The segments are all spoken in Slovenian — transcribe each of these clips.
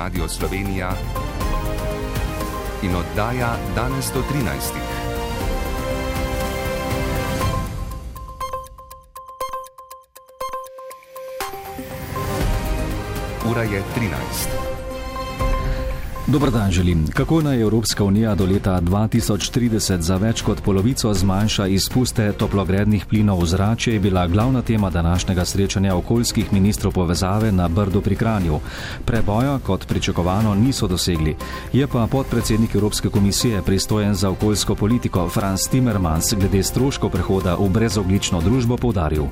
Radio Slovenija in oddaja Danes do 13. Ura je 13. Dobar dan želim. Kako naj Evropska unija do leta 2030 za več kot polovico zmanjša izpuste toplogrednih plinov v zrače, je bila glavna tema današnjega srečanja okoljskih ministrov povezave na Brdu pri Kranju. Preboja, kot pričakovano, niso dosegli. Je pa podpredsednik Evropske komisije pristojen za okoljsko politiko Frans Timmermans glede stroškov prehoda v brezogljično družbo poudaril.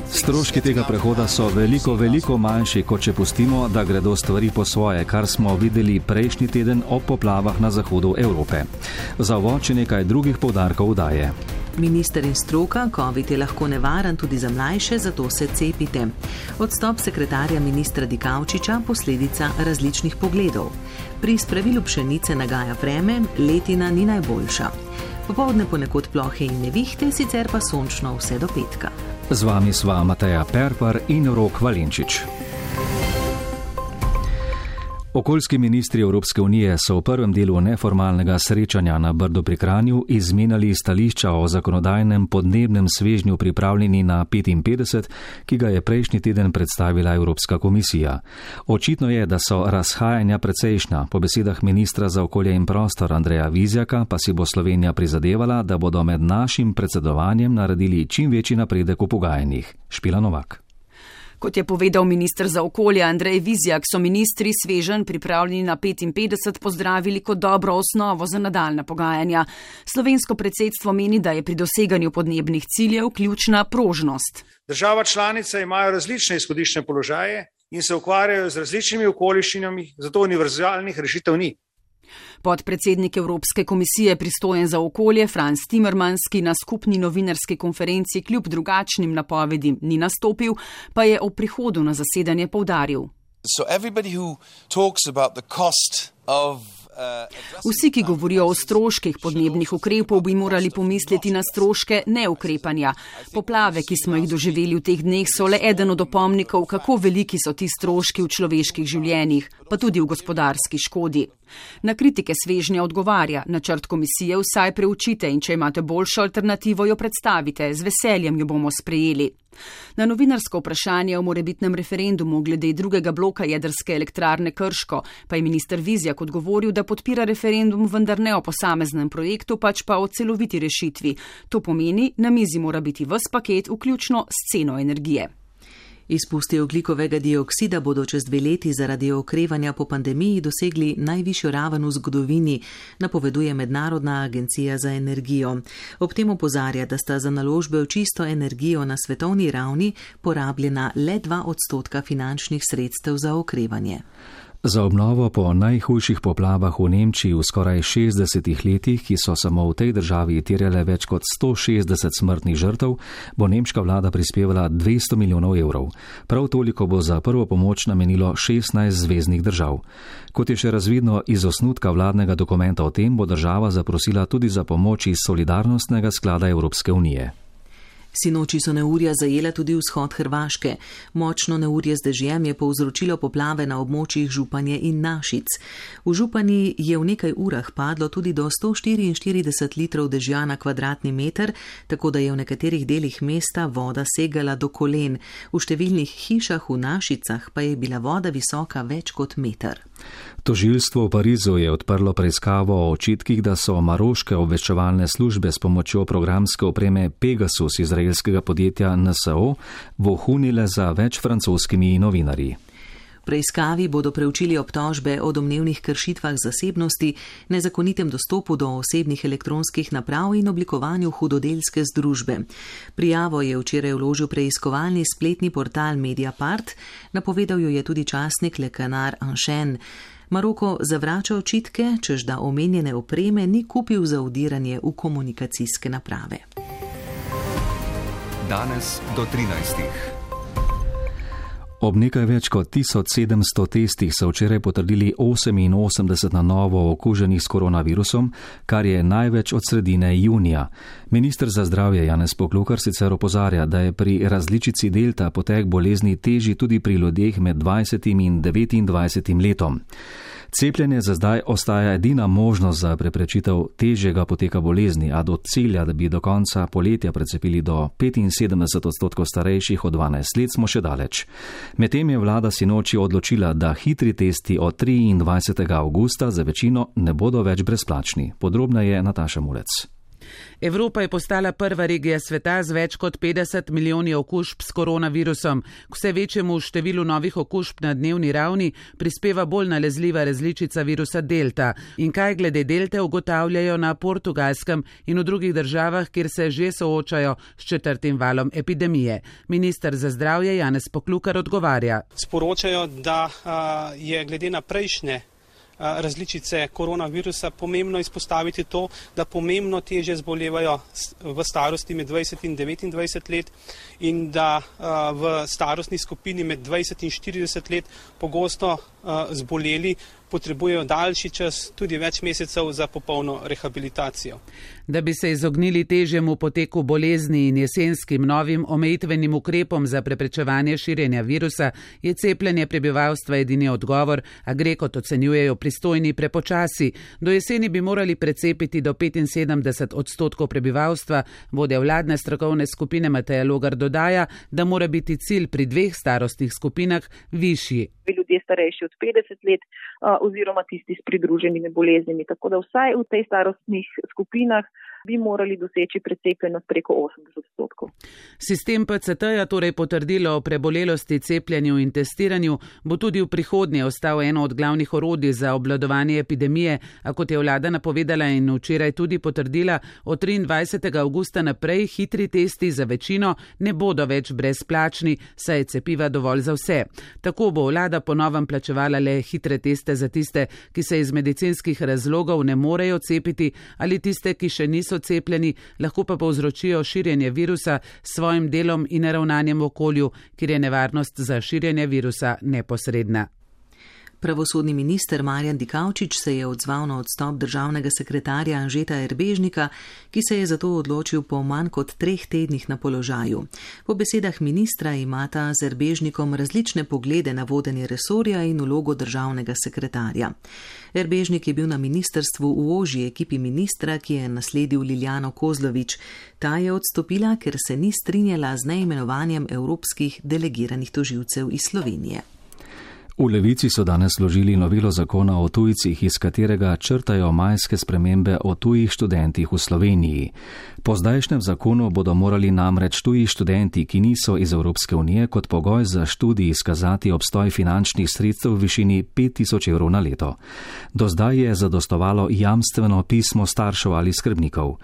Stroški tega prehoda so veliko manjši, kot če pustimo, da gredo stvari po svoje, kar smo videli prejšnji teden ob poplavah na zahodu Evrope. Za uvod še nekaj drugih poudarkov daje. Minister in stroka, COVID je lahko nevaren tudi za mlajše, zato se cepite. Odstop sekretarja ministra Dikaučiča, posledica različnih pogledov. Pri spravilu pšenice nagaja vreme, letina ni najboljša. Popoldne ponekod plohe in nevihte, sicer pa sončno vse do petka. Z vami sva Mateja Perpar in Rok Valenčič. Okoljski ministri Evropske unije so v prvem delu neformalnega srečanja na Brdu pri Kranju izmenjali stališča o zakonodajnem podnebnem svežnju pripravljeni na 55, ki ga je prejšnji teden predstavila Evropska komisija. Očitno je, da so razhajanja precejšnja. Po besedah ministra za okolje in prostor Andreja Vizjaka pa si bo Slovenija prizadevala, da bodo med našim predsedovanjem naredili čim večji napredek v pogajanjih. Špila Novak. Kot je povedal minister za okolje Andrej Vizjak, so ministri sveženj pripravljeni na 55 pozdravili kot dobro osnovo za nadaljna pogajanja. Slovensko predsedstvo meni, da je pri doseganju podnebnih ciljev ključna prožnost. Država članica imajo različne izhodiščne položaje in se ukvarjajo z različnimi okoliščinami, zato univerzalnih rešitev ni. Podpredsednik Evropske komisije pristojen za okolje Frans Timmermans, ki na skupni novinarski konferenci kljub drugačnim napovedim ni nastopil, pa je o prihodu na zasedanje poudaril. Vsi, ki govorijo o stroških podnebnih ukrepov, bi morali pomisliti na stroške neukrepanja. Poplave, ki smo jih doživeli v teh dneh, so le eden od opomnikov, kako veliki so ti stroški v človeških življenjih, pa tudi v gospodarski škodi. Na kritike svežnja odgovarja, načrt komisije vsaj preučite in če imate boljšo alternativo, jo predstavite, z veseljem jo bomo sprejeli. Na novinarsko vprašanje o morebitnem referendumu glede drugega bloka jedrske elektrarne Krško pa je minister Vizjak odgovoril, da podpira referendum, vendar ne o posameznem projektu, pač pa o celoviti rešitvi. To pomeni, na mizi mora biti ves paket, vključno s ceno energije. Izpusti ogljikovega dioksida bodo čez 2 leti zaradi okrevanja po pandemiji dosegli najvišjo raven v zgodovini, napoveduje Mednarodna agencija za energijo. Ob tem opozarja, da sta za naložbe v čisto energijo na svetovni ravni porabljena le 2% finančnih sredstev za okrevanje. Za obnovo po najhujših poplavah v Nemčiji v skoraj 60 letih, ki so samo v tej državi terjale več kot 160 smrtnih žrtev, bo nemška vlada prispevala 200 milijonov evrov. Prav toliko bo za prvo pomoč namenilo 16 zveznih držav. Kot je še razvidno iz osnutka vladnega dokumenta o tem, bo država zaprosila tudi za pomoč iz Solidarnostnega sklada Evropske unije. Sinoči so neurja zajela tudi vzhod Hrvaške. Močno neurje z dežjem je povzročilo poplave na območjih Županje in Našic. V Županji je v nekaj urah padlo tudi do 144 litrov dežja na kvadratni meter, tako da je v nekaterih delih mesta voda segala do kolen. V številnih hišah v Našicah pa je bila voda visoka več kot meter. Tožilstvo v Parizu je odprlo preiskavo o očitkih, da so maroške obveščevalne službe s pomočjo programske opreme Pegasus izraelskega podjetja NSO vohunile za več francoskimi novinarji. V preiskavi bodo preučili obtožbe o domnevnih kršitvah zasebnosti, nezakonitem dostopu do osebnih elektronskih naprav in oblikovanju hudodelske združbe. Prijavo je včeraj vložil preiskovalni spletni portal Mediapart, napovedal jo je tudi časnik Le Canard Enchaîné. Maroko zavrača očitke, čež da omenjene opreme ni kupil za vdiranje v komunikacijske naprave. Danes do 13. Ob nekaj več kot 1700 testih so včeraj potrdili 88 na novo okuženih s koronavirusom, kar je največ od sredine junija. Minister za zdravje Janez Poklukar sicer opozarja, da je pri različici delta potek bolezni težji tudi pri ljudeh med 20 in 29 letom. Cepljenje za zdaj ostaja edina možnost za preprečitev težjega poteka bolezni, a do cilja, da bi do konca poletja precepili do 75% starejših od 12 let, smo še daleč. Medtem je vlada sinoči odločila, da hitri testi od 23. avgusta za večino ne bodo več brezplačni. Podrobneje Nataša Mulec. Evropa je postala prva regija sveta z več kot 50 milijoni okužb s koronavirusom. K vse večjemu številu novih okužb na dnevni ravni prispeva bolj nalezljiva različica virusa delta. In kaj glede delte ugotavljajo na Portugalskem in v drugih državah, kjer se že soočajo s 4. valom epidemije. Minister za zdravje Janez Poklukar odgovarja. Sporočajo, da je glede na prejšnje različice koronavirusa pomembno izpostaviti to, da pomembno težje zbolevajo v starosti med 20 in 29 let in da v starostni skupini med 20 in 40 let pogosto zboleli potrebujejo daljši čas, tudi več mesecev za popolno rehabilitacijo. Da bi se izognili težjemu poteku bolezni in jesenskim novim omejitvenim ukrepom za preprečevanje širjenja virusa, je cepljenje prebivalstva edini odgovor, a gre, kot ocenjujejo pristojni, prepočasi. Do jeseni bi morali precepiti do 75% prebivalstva. Vodja vladne strokovne skupine Mateja Logar dodaja, da mora biti cilj pri 2 starostnih skupinah višji. Ljudje starejši od 50 let oziroma tisti s pridruženimi boleznimi. Tako da vsaj v tej starostnih skupinah bi morali doseči precepljenost preko 80%. Sistem PCT-ja, torej potrdilo o prebolelosti, cepljenju in testiranju, bo tudi v prihodnje ostal eno od glavnih orodij za obvladovanje epidemije, a kot je vlada napovedala in včeraj tudi potrdila, od 23. avgusta naprej hitri testi za večino ne bodo več brezplačni, saj je cepiva dovolj za vse. Tako bo vlada po novem plačevala le hitre teste za tiste, ki se iz medicinskih razlogov ne morejo cepiti, ali tiste, ki še niso cepljeni, lahko pa povzročijo širjenje virusa s svojim delom in ravnanjem v okolju, kjer je nevarnost za širjenje virusa neposredna. Pravosodni minister Marjan Dikaučič se je odzval na odstop državnega sekretarja Anžeta Erbéžnika, ki se je zato odločil po manj kot 3 tednih na položaju. Po besedah ministra imata z Erbéžnikom različne poglede na vodenje resorja in vlogo državnega sekretarja. Erbéžnik je bil na ministrstvu v ožji ekipi ministra, ki je nasledil Liljano Kozlovič. Ta je odstopila, ker se ni strinjala z neimenovanjem evropskih delegiranih tožilcev iz Slovenije. V Levici so danes vložili novelo zakona o tujcih, iz katerega črtajo majske spremembe o tujih študentih v Sloveniji. Po zdajšnjem zakonu bodo morali namreč tuji študenti, ki niso iz Evropske unije, kot pogoj za študij izkazati obstoj finančnih sredstev v višini 5000 evrov na leto. Do zdaj je zadostovalo jamstveno pismo staršev ali skrbnikov.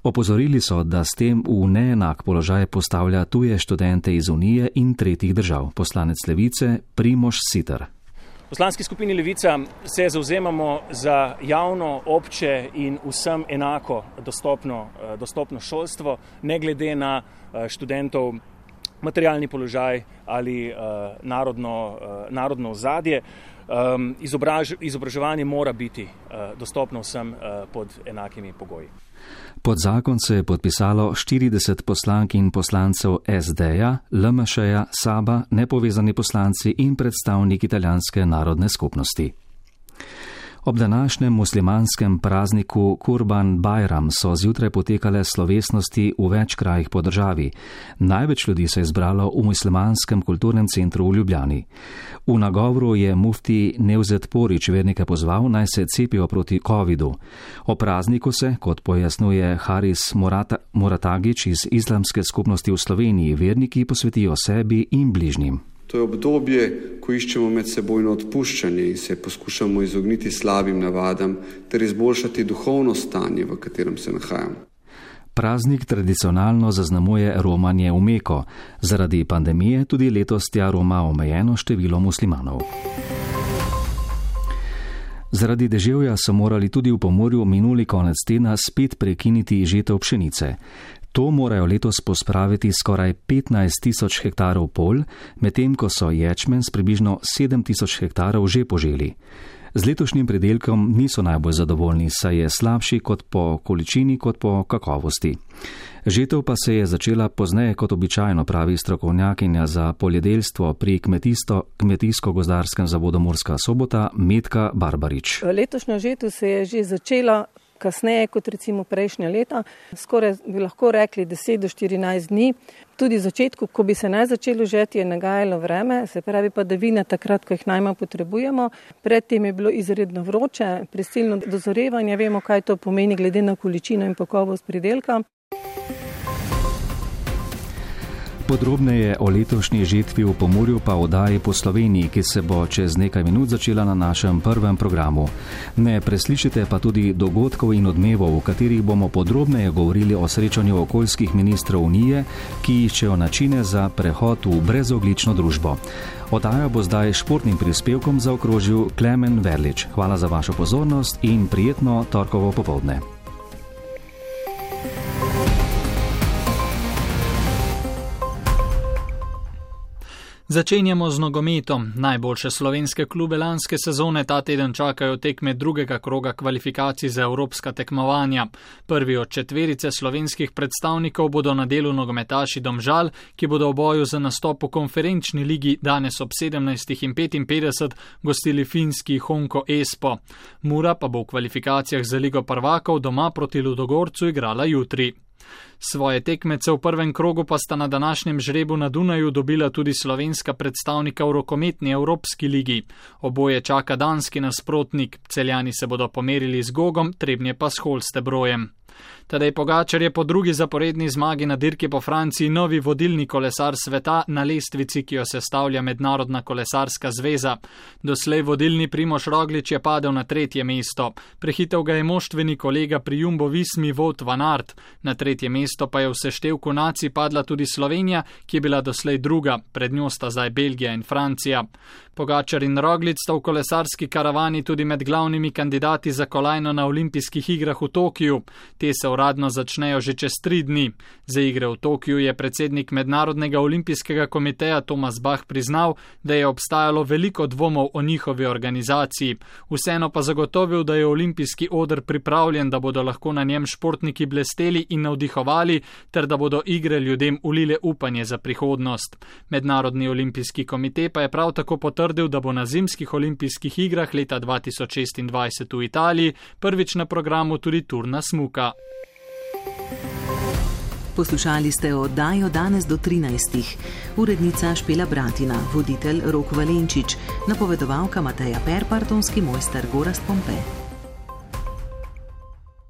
Opozorili so, da s tem v neenak položaj postavlja tuje študente iz Unije in tretjih držav. Poslanec Levice Primož Siter. V poslanski skupini Levica se zavzemamo za javno, obče in vsem enako dostopno šolstvo, ne glede na študentov materialni položaj ali narodno ozadje. Izobraževanje mora biti dostopno vsem pod enakimi pogoji. Pod zakon se je podpisalo 40 poslank in poslancev SD-ja, LMŠ-ja, SAB-a, nepovezani poslanci in predstavnik italijanske narodne skupnosti. Ob današnjem muslimanskem prazniku Kurban Bajram so zjutraj potekale slovesnosti v več krajih po državi. Največ ljudi se je zbralo v muslimanskem kulturnem centru v Ljubljani. V nagovoru je mufti Nevzet Porić vernike pozval, naj se cepijo proti covidu. O prazniku se, kot pojasnjuje Haris Moratagić iz islamske skupnosti v Sloveniji, verniki posvetijo sebi in bližnjim. To je obdobje, ko iščemo medsebojno odpuščanje in se poskušamo izogniti slabim navadam ter izboljšati duhovno stanje, v katerem se nahajamo. Praznik tradicionalno zaznamuje romanje v Meko. Zaradi pandemije tudi letos tja roma omejeno število muslimanov. Zaradi deževja so morali tudi v Pomurju minuli konec tedna spet prekiniti žetev pšenice. To morajo letos pospraviti skoraj 15.000 hektarov polj, medtem ko so ječmen s približno 7.000 hektarov že poželi. Z letošnjim pridelkom niso najbolj zadovoljni, saj je slabši kot po količini kot po kakovosti. Žetev pa se je začela pozneje kot običajno, pravi strokovnjakinja za poljedelstvo pri Kmetijsko-gozdarskem zavodu Murska Sobota Metka Barbarič. Letošnja žetev se je že začela kasneje kot recimo prejšnja leta, skoraj bi lahko rekli 10 do 14 dni. Tudi v začetku, ko bi se naj začelo žeti, je nagajalo vreme, se pravi padavine takrat, ko jih najmanj potrebujemo. Predtem je bilo izredno vroče, prisilno dozorevanje, vemo, kaj to pomeni glede na količino in kakovost pridelka. Podrobneje o letošnji žetvi v Pomurju pa oddaji po Sloveniji, ki se bo čez nekaj minut začela na našem prvem programu. Ne preslišite pa tudi dogodkov in odmevov, v katerih bomo podrobneje govorili o srečanju okoljskih ministrov Unije, ki iščejo načine za prehod v brezoglično družbo. Oddaja bo zdaj športnim prispevkom zaokrožil Klemen Verlič. Hvala za vašo pozornost in prijetno torkovo popoldne. Začenjamo z nogometom. Najboljše slovenske klube lanske sezone ta teden čakajo tekme drugega kroga kvalifikacij za evropska tekmovanja. Prvi od četverice slovenskih predstavnikov bodo na delu nogometaši Domžal, ki bodo v boju za nastop v konferenčni ligi danes ob 17:55 gostili finski Honko Espo. Mura pa bo v kvalifikacijah za Ligo prvakov doma proti Ludogorcu igrala jutri. Svoje tekmece v prvem krogu pa sta na današnjem žrebu na Dunaju dobila tudi slovenska predstavnika v rokometni Evropski ligi. Oboje čaka danski nasprotnik, Celjani se bodo pomerili z Gogom, Trebnje pa s Holstebrojem. Tadej Pogačar je po drugi zaporedni zmagi na dirki po Franciji novi vodilni kolesar sveta na lestvici, ki jo sestavlja Mednarodna kolesarska zveza. Doslej vodilni Primož Roglič je padel na 3. mesto. Prehitel ga je moštveni kolega pri Jumbo Vismi Wout van Aert. Na 3. mesto pa je v seštevku nacij padla tudi Slovenija, ki je bila doslej druga, pred njo sta zdaj Belgija in Francija. Pogačar in Roglič sta v kolesarski karavani tudi med glavnimi kandidati za kolajno na olimpijskih igrah v Tokiju. Te se uradno začnejo že čez 3 dni. Za igre v Tokiju je predsednik Mednarodnega olimpijskega komiteja Tomas Bach priznal, da je obstajalo veliko dvomov o njihovi organizaciji. Vseeno pa zagotovil, da je olimpijski oder pripravljen, da bodo lahko na njem športniki blesteli in navdihovali, ter da bodo igre ljudem ulile upanje za prihodnost. Mednarodni olimpijski komite pa je prav tako potrdil, da bo na zimskih olimpijskih igrah leta 2026 v Italiji prvič na programu tudi turna smuka. Poslušali ste oddajo Danes do 13. Urednica Špela Bratina, voditelj Rok Valenčič, napovedovalka Mateja Perpartonski, mojster Gorazd Pompe.